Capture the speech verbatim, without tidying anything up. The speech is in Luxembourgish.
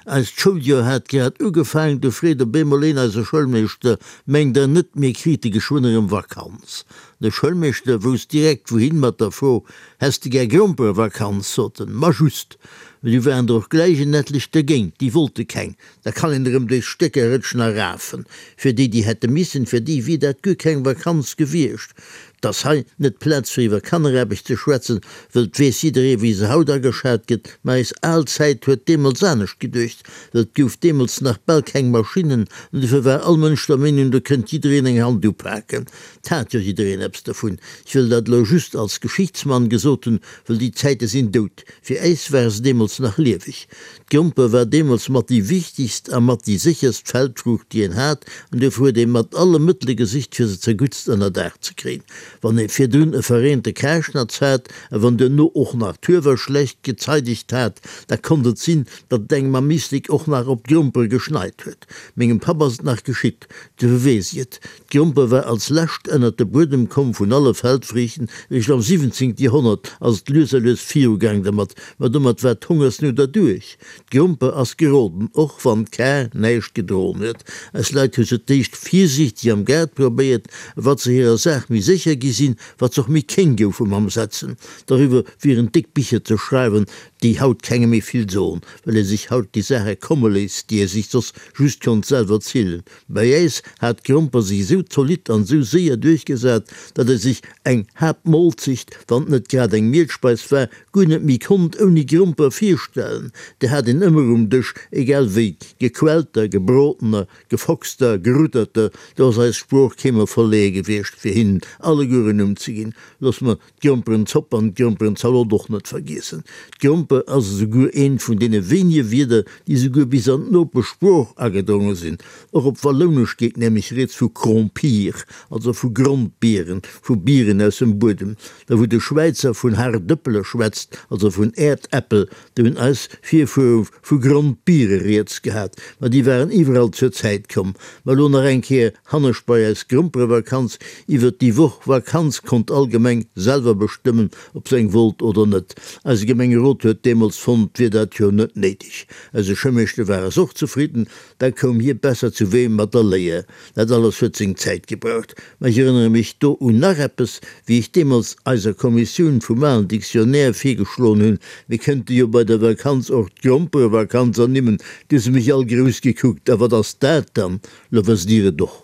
Eist Schouljoer hat grad ugefaangen, du freet op eemol een eise Schoulmeeschter, Mengt Der net, mir krite geschwënn erëm Vakanz? De Schoulmeeschter wousst direkt wouhin mat der Fro, Häss de gär Gromperevakanz? sot en. Ma just! Mä du waren der och gläich en etlech dergéint, déi wollte keng. Da kann een erëm duerch Stécker rëtschen a rafen. Fir déi, déi hätte missen, fir déi wier dat guer keng Vakanz gewiescht. 't ass hei net d'Plaz fir iwwer Kanneraarbecht ze schwätzen, wëll 't weess jidderee wéi se haut ageschat gëtt, mä eis al Zäit huet deemools anescht geduecht, wëll 't gouf deemools nach bal keng Maschinnen an dofir war all Mënsch der Meenung, do kënnt jiddereen eng Hand upaken. 't hat jo jiddereen eppes dervun. Ech wëll dat elo just als Geschichtsmann gesot hunn, wëll déi Zäite sinn dout. Fir äis ware se deemools nach lieweg. D'Gromper war deemools mat déi wichtegst a mat déi sécherst Feldfruucht, déi een hat, an duerfir huet ee mat alle Mëttele gesicht, fir se zerguttst ënnerdaach ze kréien. Wann ee virdrun e verreente Karschnatz hat a wann duerno och nach d'Huewer schlecht gezeidegt hat, da konnt et sinn, datt et engem am Éislek och nach op d'Gromper geschneit huet. Mengem Papp ass et nach geschitt, duerfir weess ech et. D'Gromper war als lescht ënnert de Buedem komm vun alle Feldfriichten. Eréischt am siwwenzéngte Joerhonnert ass et lues a lues virugaang dermat, ma domat war d'Hongersnout erduerch. D'Gromper ass geroden, och wann d'Kar näischt gedroen huet. Eis Leit hu se d'éischt virsiichteg am Gaart probéiert, a wat se hirer Saach méi sécher gi sinn, wat se och méi kéng goufe mam Setzen. Doriwwer wieren déck Bicher ze schreiwen, déi haut kengem méi vill soen, well ee sech haut déi Saache komme léisst, déi ee sech soss just konnt selwer zielen. Bei äis hat d'Gromper sech esou zolidd an esou séier duerchgesat, datt ee sech eng Haaptmolzecht, wann et net grad eng Mielspeis war, guer net méi konnt ouni Gromper virstellen. Déi hat een ëmmer um Dësch, egal wéi, gequellter, gebrodener, gefoxter, gerutterter, do ass eis Sprooch keemol verleeë gewiescht, fir hinnen alleguer en Numm ze ginn. Loosse mer d'Gromperenzopp an d'Gromperenzalot och net vergiessen. D'Gromper ass esouguer eent vun deene wéinege Wierder, déi esouguer bis an d'Nopeschsprooch agedronge sinn. Och op Wallounesch geet nämlech rieds vu Krompir, also vu Grondbieren, vu Bieren aus dem Buedem. Da wou de Schwäizer vun Hardëppele schwätzt, also vun Äerdäppel, do hunn eis Virfuere vu Grondbiere rieds gehat. Ma déi waren iwwerall zur Zäit komm. Ma elo nach eng Kéier hannescht bei eis Gromperevakanz. Iwwert déi Woch Vakanz konnt all Gemeng selwer bestëmmen, ob se eng wollt oder net. Eise Gemengerot huet deemools fonnt, 't wier dat jo net néideg. Eise Schëmmeeschter war es och zefridden, da koum hie besser zu Wee mat der Léier. Dat alles huet seng Zäit gebraucht. Ma ech erënnere mech do un nach eppes, wéi ech deemools eiser Kommissioun vum alen Dictionnaire virgeschloen hunn, mir kënnte jo bei der Vakanz och d'Gromperevakanz ernimmen, du hu se mech all grouss gekuckt, A wat ass dat dann? Lo wësst Dir et och.